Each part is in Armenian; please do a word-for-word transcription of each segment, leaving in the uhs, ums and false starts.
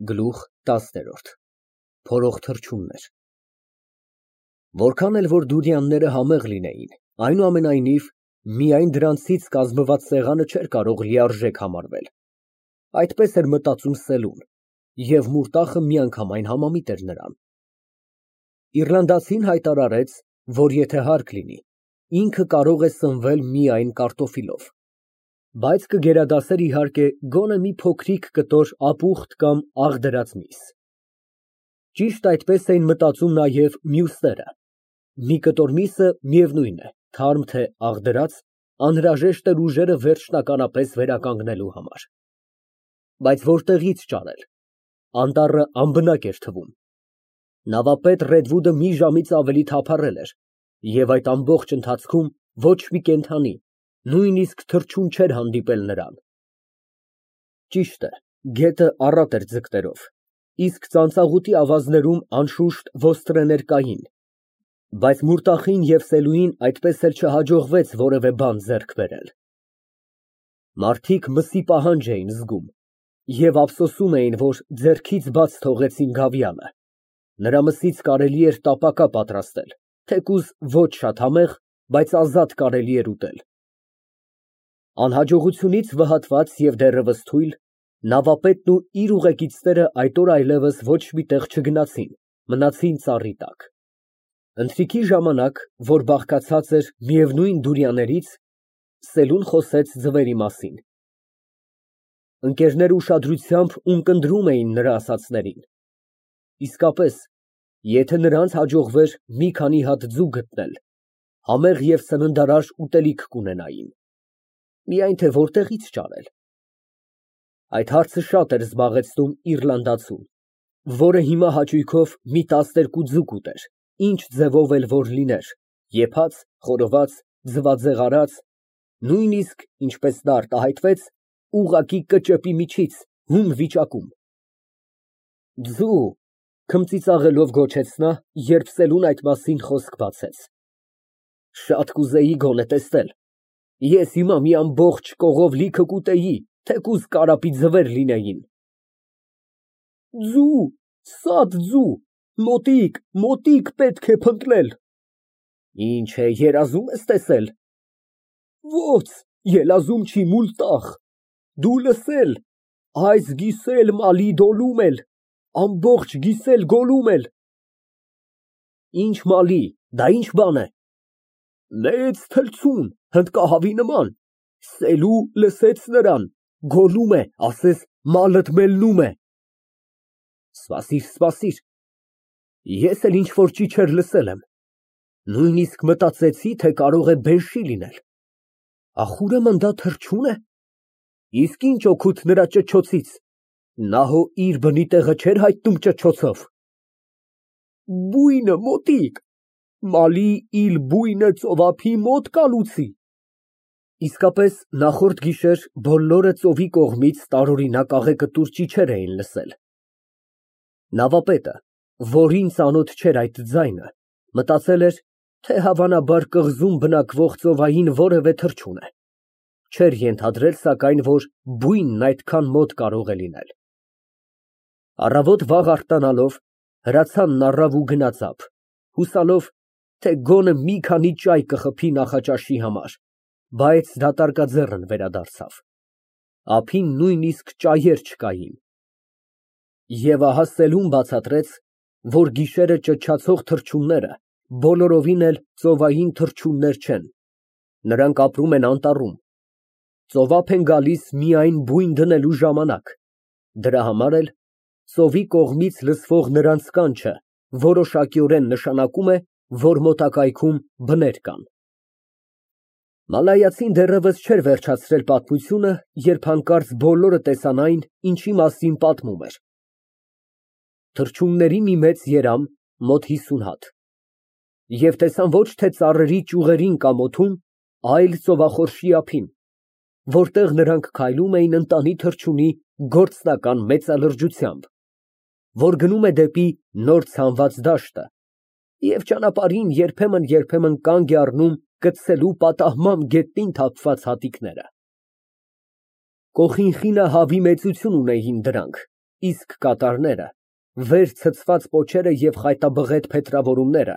Գլուխ տասներորդ Փորող թռչուններ Որքան էլ որ դուրյանները համեղ լինեին, այնուամենայնիվ, միայն դրանցից կազմված սեղանը չէր կարող լիարժեք համարվել, այդպես էր մտածում Սելուն, և մուրտախը միանգամայն համամիտ էր նրան։ Իռլանդացին հայտարարեց, որ եթե հարկ լինի, ինքը կարող է սնվել միայն կարտոֆիլով, բայց կգերադասեր, իհարկե, գոնե մի փոքրիկ կտոր ապուխտ կամ աղ դրած միս։ Ճիշտ այդպես էին մտածում նաև մյուսները։ Մի կտոր միսը, միևնույն է, թարմ թե աղ դրած, անհրաժեշտ էր ուժերը վերջնականապես վերականգնելու համար։ Բայց որտեղի՞ց ճարել, անտառը անբնակ էր թվում։ Նավապետ Ռեդվուդը մի ժամից ավելի թափառել էր, և այդ ամբողջ ընթացքում ոչ մի կենդանի, նույնիսկ թռչուն չէր հանդիպել նրան։ Ճիշտ է, գետը առատ էր ձկներով, իսկ ծանծաղուտի ավազներում, անշուշտ, ոստրեներ կային, բայց մուրտախին և Սելուին այդպես էլ չհաջողվեց որևէ բան ձեռք բերել։ Մարդիկ մսի պահանջ էին զգում և ափսոսում էին, որ ձեռքից բաց թողեցին գավիանը։ Նրա մսից կարելի էր տապակա պատրաստել, թեկուզ ոչ շատ համեղ, բայց ազատ կարելի էր ուտել։ Անհաջողությունից վհատված և դեռևս թույլ, նավապետն ու իր ուղեկիցները այդ օր այլևս ոչ մի տեղ չգնացին, մնացին ծառի տակ։ Ընթրիքի ժամանակ, որ բաղկացած էր միևնույն դուրյաներից, Սելուն խոսեց ձվերի մասին։ Ընկերները ուշադրությամբ ունկնդրում էին նրա ասածներին։ Իսկապես, եթե նրանց հաջողվեր մի քանի հատ ձու գտնել, համեղ և սննդարար ուտելիք կունենային, միայն թե որտեղի՞ց ճարել։ Այդ հարցը շատ էր զբաղեցնում իռլանդացուն, որը հիմա հաճույքով մի տասներկու ձու կուտեր, ինչ ձևով էլ որ լիներ, եփած, խորոված, ձվածեղարած, նույնիսկ, ինչպես նա արտահայտվեց, ուղղակի կճեպի միջից, հում վիճակում։ Ձու, քմծիծաղելով գոչեց նա, երբ Սելուն այդ մասին խոսք բացեց։ Շատ կուզեի գոնե տեսնել, ես հիմա մի ամբողջ կողով լիքը կուտեի, թեկուզ կարապի ձվեր լինեին։ Ձու, սատ ձու, մոտիկ, մոտիկ պետք է փնտրել։ Ինչ է, երազում ես տեսել։ Ո՞ց, ելազում չի մուլտախ, դու լսել, այս գիսել մալի դոլում էլ, ամբողջ գիսել գոլում էլ։ Ինչ մալի, դա ինչ բան է։ Մեծ թռչուն, հնդկահավի նման, Սելու լսեց նրան, գոռում է, ասես մալդ մելնում է։ Սպասիր, սպասիր, ես էլ ինչ֊որ ճիչեր լսել եմ, նույնիսկ մտածեցի, թե կարող է բեշի լինել։ Ախ, ուրեմն դա թռչո՞ւն է։ Իսկ ինչ օգուտ նրա ճչոցից, նա հո իր բնի տեղը չէր հայտնում ճչոցով։ Բույնը մոտիկ, մալի իլ բույնը ծովափի մոտ կալուցի։ Իսկապես, նախորդ գիշեր բոլորը ծովի կողմից տարօրինակ աղեկտուր ճիչեր էին լսել։ Նավապետը, որին ծանոթ չէր այդ ձայնը, մտածել էր, թե հավանաբար կղզում բնակվող ծովային որևէ թռչուն է։ Չէր ենթադրել, սակայն, որ բույնն այդքան մոտ կարող է լինել։ Առավոտ վաղ արթնանալով, հրացանն առավ ու գնաց ափ, հուսալով, թե գոնե մի քանի ճայ կխփի նախաճաշի համար, բայց դատարկաձեռն վերադարձավ։ Ափին նույնիսկ ճայեր չկային։ Եվ ահա Սելուն բացատրեց, որ գիշերը ճչացող թռչունները բոլորովին էլ ծովային թռչուններ չեն, նրանք ապրում են անտառում, ծովափ են գալիս միայն բույն դնելու ժամանակ, դրա համար էլ ծովի կողմից լսվող նրանց կանչը որոշակիորեն նշանակում է, որ մոտակայքում բներ կան։ Մալայացին դեռևս չէր վերջացրել պատմությունը, երբ հանկարծ բոլորը տեսան այն, ինչի մասին պատմում էր։ Թռչունների մի մեծ երամ, մոտ հիսուն հատ, և տեսան ոչ թե ծառերի ճյուղերին կամ օդում, այլ ծովախորշի ափին, որտեղ նրանք քայլում էին ընտանի թռչունի գործնական մեծալրջությամբ, որ գնում է դեպի նոր ցանված դաշտը և ճանապարհին երբեմն֊երբեմն կանգ է առնում կծելու պատահմամբ գետնին թափված հատիկները։ Կոխինխինը հավի մեծություն ունեին դրանք, իսկ կատարները, վեր ցցված պոչերը և խայտաբղետ փետրավորումները,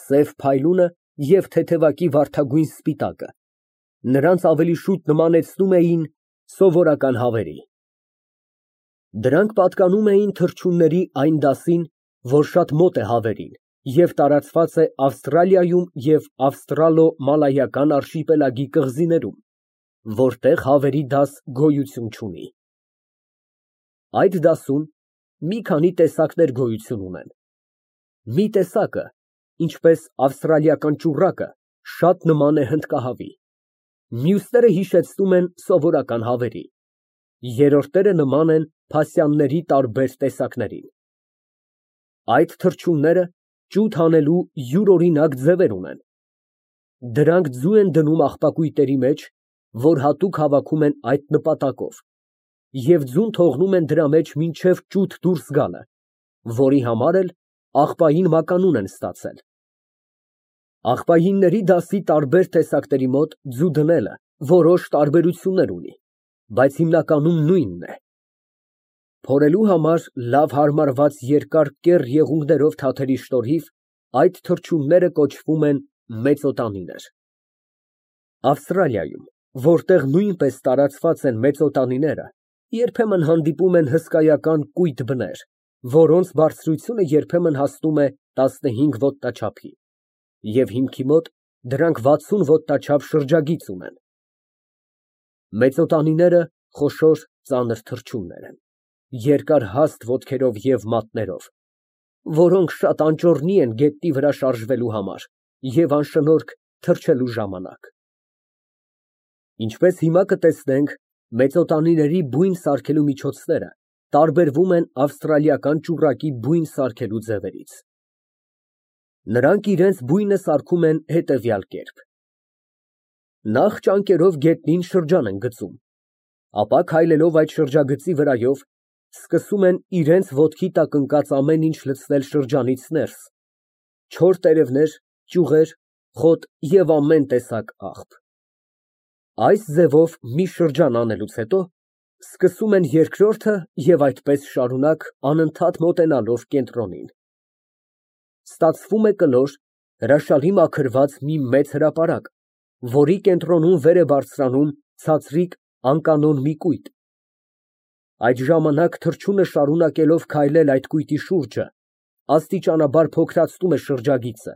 սև փայլունը և թեթևակի վարդագույն սպիտակը նրանց ավելի շուտ նմանեցնում էին սովորական հավերի։ Դրանք պատկանում էին թռչունների այն դասին, որ շատ մոտ է հավերին և տարածված է Ավստրալիայում և ավստրալո-մալայական արշիպելագի կղզիներում, որտեղ հավերի դաս գոյություն չունի։ Այդ դասում մի քանի տեսակներ գոյություն ունեն։ Մի տեսակը, ինչպես ավստրալիական ճուռակը, շատ նման է հնդկահավի, մյուսները հիշեցնում են սովորական հավերի, երրորդները նման են փասյանների տարբեր տեսակներին։ Այդ թռչունները ջութ հանելու յուրօրինակ ձևեր ունեն։ Դրանք ձու են դնում աղբակույտերի մեջ, որ հատուկ հավաքում են այդ նպատակով, և ձուն թողնում են դրա մեջ մինչև ճութ դուրս գալը, որի համար էլ աղբային մականուն են ստացել։ Աղբայինների դասի տարբեր տեսակների մոտ ձու դնելը որոշ տարբերություններ ունի, բայց հիմնականում նույնն է։ Փորելու համար լավ հարմարված երկար կեռ եղունգներով թաթերի շնորհիվ այդ թռչունները կոչվում են մեծօտանիներ։ Ավստրալիայում, որտեղ նույնպես տարածված են մեծօտանիները, երբեմն հանդիպում են հսկայական կույտ բներ, որոնց բարձրությունը երբեմն հասնում է տասնհինգ ոտնաչափի, և հիմքի մոտ դրանք վաթսուն ոտնաչափ շրջագիծ ունեն։ Մեծօտանիները խոշոր ծանր թռչուններ են, երկար հաստ ոտքերով և մատներով, որոնք շատ անճոռնի են գետնի վրա շարժվելու համար և անշնորհք թռչելու ժամանակ։ Ինչպես հիմա կտեսնենք, մեծօտանիների բույն սարքելու միջոցները տարբերվում են ավստրալիական ճուռակի բույն սարքելու ձևերից։ Նրանք իրենց բույնը սարքում են հետևյալ կերպ. Նախ ճանկերով գետնին շրջան են գծում, ապա քայլելով այդ շրջագծի վրայով, սկսում են իրենց ոտքի տակ ընկած ամեն ինչ լցնել շրջանից ներս, չոր տերևներ, ճյուղեր, խոտ և ամեն տեսակ աղբ։ Այս ձևով մի շրջան անելուց հետո սկսում են երկրորդը և այդպես շարունակ անընդհատ մոտենալով կենտրոնին։ Ստացվում է կլոր, հրաշալի մաքրված մի մեծ հրապարակ, որի կենտրոնում վեր է բարձրանում ցածրիկ անկանոն մի կույտ։ Այդ ժամանակ թռչունը շարունակելով քայլել այդ կույտի շուրջը, աստիճանաբար փոքրացնում է շրջագիծը,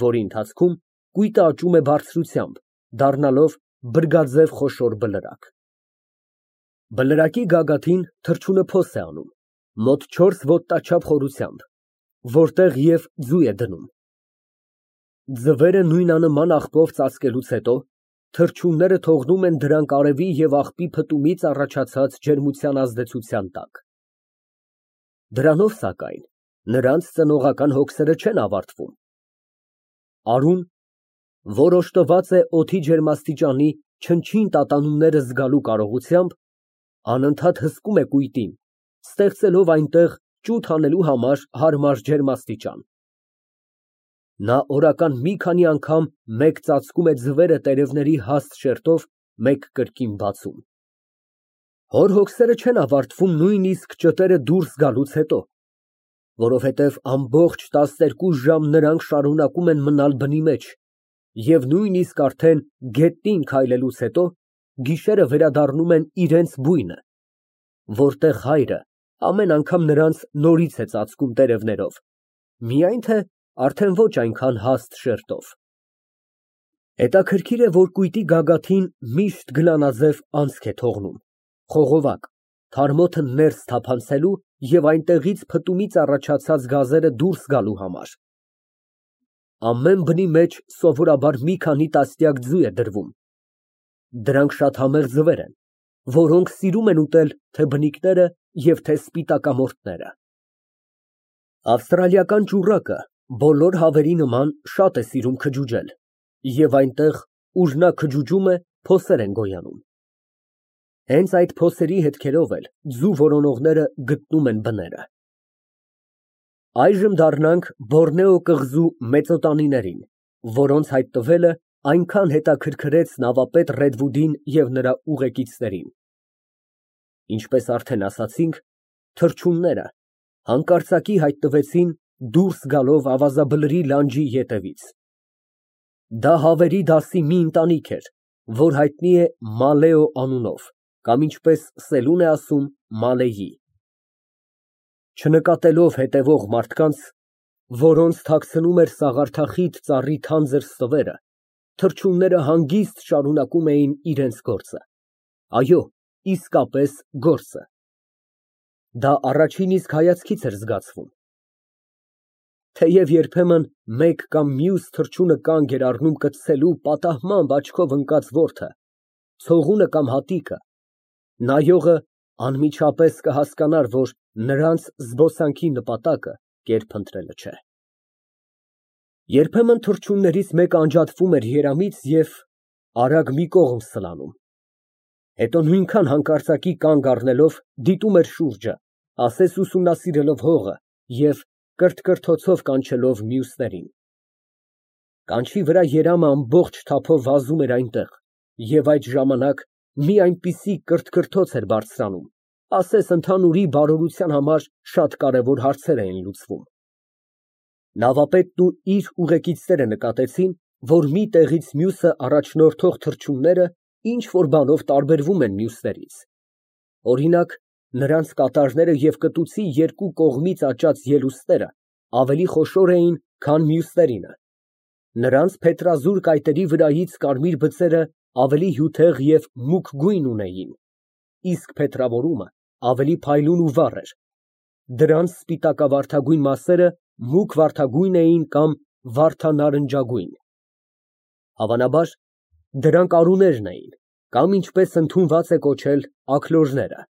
որի ընթացքում կույտը աճում է բարձրությամբ, դառնալով բրգաձև խոշոր բլրակ։ Բլրակի գագաթին թռչունը փոս է անում, մոտ չորս ոտնաչափ խորությամբ, որտեղ և ձու է դնում։ Ձվերը նույնանման աղբով ծածկելուց հետո թռչունները թողնում են դրանք արևի և աղբի փտումից առաջացած ջերմության ազդեցության տակ։ Դրանով, սակայն, նրանց ծնողական հոգսերը չեն ավարտվում։ Արուն, որ օժտված է օդի ջերմաստիճանի չնչին տատանումները զգալու կարողությամբ, անընդհատ հսկում է կույտին, ստեղծելով այնտեղ ջութ հանելու համար հարմար ջերմաստիճան։ Նա օրական մի քանի անգամ մեկ ծածկում է ձվերը տերևների հաստ շերտով մեկ կրկին բացում։ Հոր հոգսերը չեն ավարտվում նույնիսկ ճտերը դուրս գալուց հետո, որովհետև ամբողջ տասներկու ժամ նրանք շարունակում են մնալ բնի մեջ և նույնիսկ արդեն գետնին քայլելուց հետո գիշերը վերադառնում են իրենց բույնը, որտեղ հայրը ամեն անգամ նրանց նորից է ծածկում տերևներով, միայն թե արդեն ոչ այնքան հաստ շերտով։ Հետաքրքիր է, որ կույտի գագաթին միշտ գլանաձև անցք է թողնում, խողովակ, թարմոթը ներս թափանցելու և այնտեղից փտումից առաջացած գազերը դուրս գալու համար։ Ամեն բնի մեջ սովորաբար մի քանի տասնյակ ձու է դրվում։ Դրանք շատ համեղ ձվեր են, որոնք սիրում են ուտել թե բնիկները և թե սպիտակամորթները։ Ավստրալիական ճուռակը բոլոր հավերի նման շատ է սիրում քջուջել, և այնտեղ, ուր նա քջուջում է, փոսեր են գոյանում։ Հենց այդ փոսերի հետքերով էլ ձու որոնողները գտնում են բները։ Այժմ դառնանք Բորնեո կղզու մեծօտանիներին, որոնց հայտնվելը այնքան հետաքրքրեց նավապետ Ռեդվուդին և նրա ուղեկիցներին։ Ինչպես արդեն ասացինք, Թռչունները հանկարծակի հայտնվեցին, դուրս գալով ավազաբլրի լանջի ետևից։ Դա հավերի դասի մի ընտանիք էր, որ հայտնի է Մալեո անունով կամ, ինչպես սելուն է ասում, Մալեյի։ Չնկատելով հետևող մարդկանց, որոնց թաքցնում էր սաղարթախիտ ծառի թանձր ստվերը, թռչունները հանգիստ շարունակում էին իրենց գործը, այո, իսկապես գործը։ Դա առաջին իսկ հայացքից էր զգացվում։ Թեև երբեմն մեկ կամ մյուս թռչունը կանգ էր առնում կծելու պատահմամբ աչքով ընկած որդը, ցողունը կամ հատիկը, նայողը անմիջապես կհասկանար, որ նրանց զբոսանքի նպատակը կերպ ընտրելը չէ։ Երբեմն թռչուններից մեկը անջատվում էր երամից և արագ մի կողմ սլանում, հետո նույնքան հանկարծակի կանգ առնելով դիտում էր շուրջը, ասես ուսումնասիրելով հողը և կրթկրթոցով կանչելով մյուսներին։ Կանչի վրա երամը ամբողջ թափով վազում էր այնտեղ, և այդ ժամանակ մի այնպիսի կրթկրթոց էր բարձրանում, ասես ընդհանուրի բարօրության համար շատ կարևոր հարցեր էին լուծվում։ Նավապետն ու իր ուղեկիցները նկատեցին, որ մի տեղից մյուսը առաջնորդող թռչունները ինչ֊որ բանով տարբերվում են մյուսներից։ Օրինակ, նրանց կատարները և կտուցի երկու կողմից աճած ելուստները ավելի խոշոր էին, քան մյուսներինը։ Նրանց փետրազուրկ կայտերի վրայից կարմիր բծերը ավելի հյութեղ և մուգ գույն ունեին, իսկ փետրավորումը ավելի փայլուն ու վառ էր։ Դրանց սպիտակավարդագույն մասերը մուգ վարդագույն էին կամ վարդանարնջագույն։ Հավանաբար, դրանք արուներն էին, կամ ինչպես ընդունված է կոչել, աքլորները։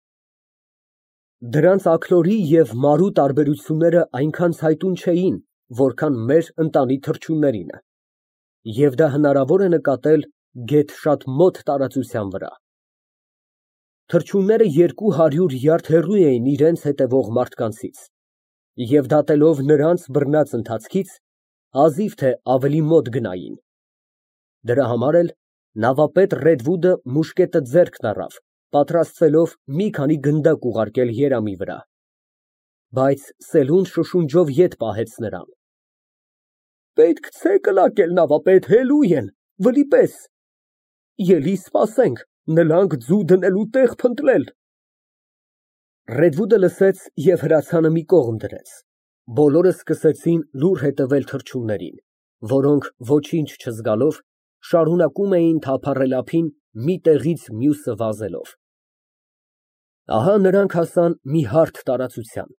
Դրանց աքլորի և մարու տարբերությունները այնքան ցայտուն չէին, որքան մեր ընտանի թռչուններինը, և դա հնարավոր է նկատել գեթ շատ մոտ տարածության վրա։ Թռչունները երկու հարյուր յարդ հեռու էին իրենց հետևող մարդկանցից, և դատելով նրանց բռնած ընթացքից, հազիվ թե ավելի մոտ գնային։ Դրա համար էլ նավապետ Ռեդվուդը մուշկետը ձեռքն առավ, պատրաստվելով մի քանի գնդակ ուղարկել երամի վրա։ Բայց սելուն շշունջով ետ պահեց նրան։ Պետք չէ կլակել, նավապետ, հելու են, վլի պես։ Ելի սպասենք, նլանք ձու դնելու տեղ փնտրել։ Ռեդվուդը լսեց և հրացանը մի կողմ դրեց։ Բոլորը սկսեցին լուռ հետևել թռչուններին, որոնք ոչինչ չզգալով, շարունակում էին թափառել ափին, մի տեղից մյուսը վազելով։ Ահա նրանք հասան մի հարթ տարածության,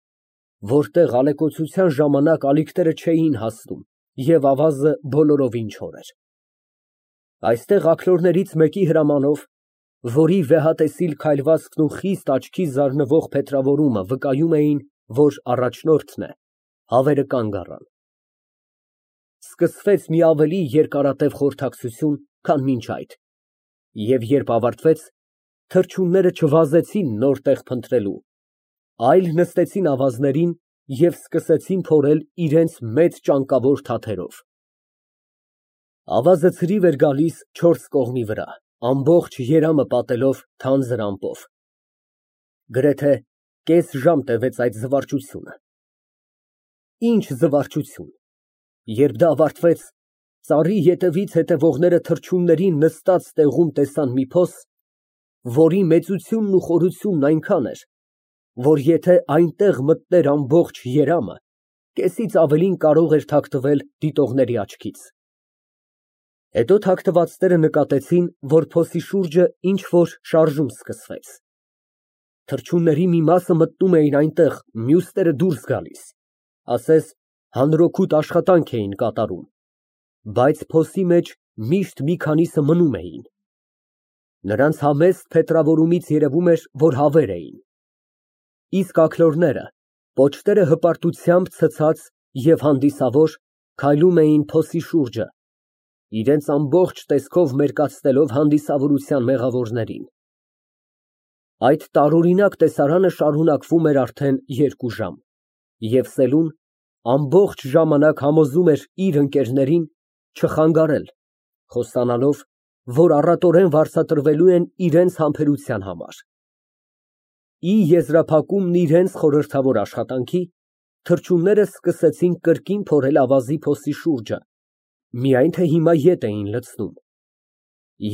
որտեղ ալեկոծության ժամանակ ալիքները չէին հասնում և ավազը բոլորովին չոր էր։ Այստեղ աքլորներից մեկի հրամանով, որի վեհատեսիլ քայլվածքն ու խիստ աչքի զարնվող փետրավորումը վկայում էին, որ առաջնորդն է, հավերը կանգ առան։ Սկսվեց մի ավելի երկարատև խորհրդակցություն, քան մինչ այդ, և երբ ավարտվեց, թռչունները չվազեցին նոր տեղ փնտրելու, այլ նստեցին ավազներին և սկսեցին փորել իրենց մեծ ճանկավոր թաթերով։ Ավազը ցրիվ էր գալիս չորս կողմի վրա, ամբողջ երամը պատելով թանձր ամպով։ Գրեթե կես ժամ տևեց այդ զվարճությունը։ Ինչ զվարճություն։ Երբ դա ավարտվեց, ծառի ետևից հետևողները թռչուններին նստած տեղում տեսան մի փոս, որի մեծությունն ու խորությունն այնքան էր, որ եթե այնտեղ մտներ ամբողջ երամը, կեսից ավելին կարող էր թաքնվել դիտողների աչքից։ Հետո թաքնվածները նկատեցին, որ փոսի շուրջը ինչ֊որ շարժում սկսվեց։ Թռչունների մի մասը մտնում էին այնտեղ, մյուսները դուրս գալիս, ասես հանրօգուտ աշխատանք էին կատարում, բայց փոսի մեջ միշտ մի քանիսը մնում էին։ Նրանց համեստ փետրավորումից երևում էր, որ հավեր էին։ Իսկ աքլորները, պոչները հպարտությամբ ցցած և հանդիսավոր, քայլում էին փոսի շուրջը, իրենց ամբողջ տեսքով մերկացնելով հանդիսավորության մեղավորներին։ Այդ տարօրինակ տեսարանը շարունակվում էր արդեն երկու ժամ, և սելուն ամբողջ ժամանակ համոզում էր իր ընկերներին չխանգարել, խոստանալով, որ առատորեն վարձատրվելու են իրենց համբերության համար։ Ի եզրափակումն իրենց խորհրդավոր աշխատանքի, թռչունները սկսեցին կրկին փորել ավազի փոսի շուրջը, միայն թե հիմա ետ էին լցնում։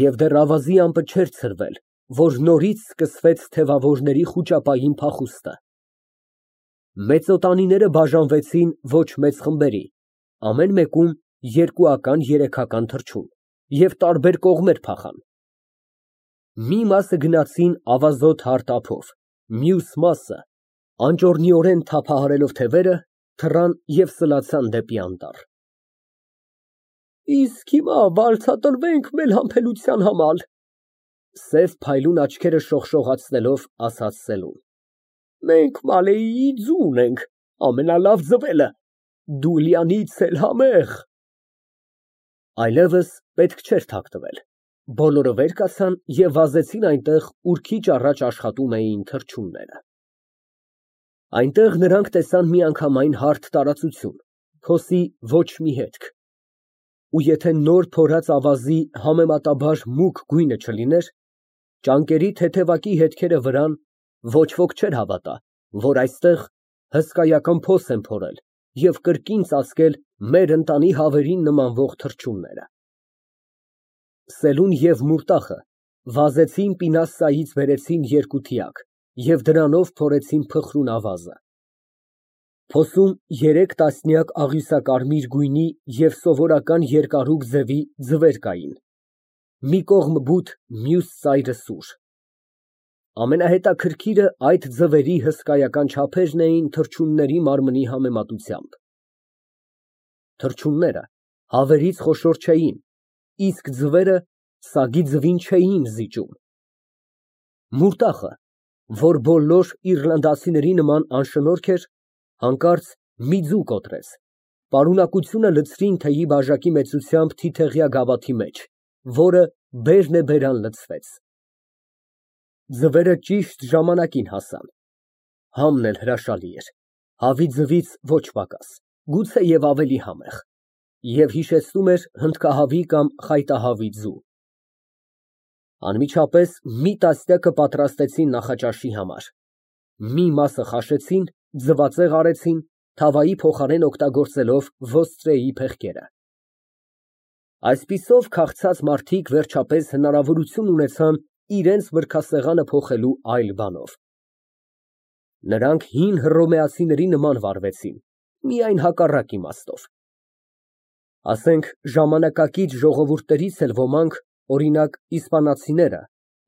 Եվ դեռ ավազի ամպը չէր ցրվել, որ նորից սկսվեց թևավորների խուճապային փախուստը։ Մեծոտանիները բաժանվեցին ոչ մեծ խմբերի, ամեն մեկում երկուական, երեքական թռչուն, և տարբեր կողմեր փախան։ Մի մասը գնացին ավազոտ հարթ ափով, մյուս մասը, անճոռնիորեն թափահարելով թևերը, թռան և սլացան դեպի անտառ։ Իսկ հիմա վարձատրվենք մեր համբերության համար, սև փայլուն աչքերը շողշողացնելով ասաց Սելուն։ Մենք Մալեիի ձուն ենք, ամենալավ ձվերը, Դուլյանից էլ համեղ։ Այլևս պետք չէր թաքցվել, բոլորը վեր կացան և վազեցին այնտեղ, ուր քիչ առաջ աշխատում էին թռչունները։ Այնտեղ նրանք տեսան միանգամայն հարթ տարածություն, փոսի ոչ մի հետք, ու եթե նոր փորած ավազի համեմատաբար մուգ գույնը չլիներ, ճանկերի թեթևակի հետքերը վրան, ոչ ոք չէր հավատա, որ այստեղ հսկայական փոս են փորել և կրկին ծածկել մեր ընտանի հավերին նմանվող թռչունները։ Սելուն և Մուրտախը վազեցին պինասայից բերեցին երկու թիակ և դրանով փորեցին փխրուն ավազը։ Փոսում երեք տասնյակ աղյուսակարմիր գույնի և սովորական երկարուկ ձևի ձվեր կային, մի կողմ բութ, մյուս ծայրը սուր։ Ամենահետաքրքիրը այդ ձվերի հսկայական չափերն էին թռչունների մարմնի համեմատությամբ։ Թռչունները հավերից խոշոր չէին, իսկ ձվերը սագի ձվին չէին զիջում։ Մուրտախը, որ բոլոր իռլանդացիների նման անշնորհք էր, հանկարծ մի ձու կոտրեց, պարունակությունը լցրին թեյի բաժակի մեծությամբ թիթեղյա գավաթի մեջ, որը բերնեբերան լցվեց։ Ձվերը ճիշտ ժամանակին հասան։ Համն էլ հրաշալի էր, հավի ձվից ոչ պակաս, գուցեև ավելի համեղ, և հիշեցնում էր հնդկահավի կամ խայտահավի ձու։ Անմիջապես մի տասնյակը պատրաստեցին նախաճաշի համար, մի մասը խաշեցին, ձվածեղ արեցին, թավայի փոխարեն օգտագործելով ոստրեի փեղկերը։ Այսպիսով քաղցած մարդիկ վերջապես հնարավորություն ունեցան իրենց մրգասեղանը փոխելու այլ բանով։ Նրանք հին հռոմեացիների նման վարվեցին, միայն հակառակ իմաստով։ Ասենք ժամանակակից ժողովուրդներից էլ ոմանք, օրինակ իսպանացիները,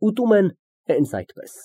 ուտում են հենց այդպես։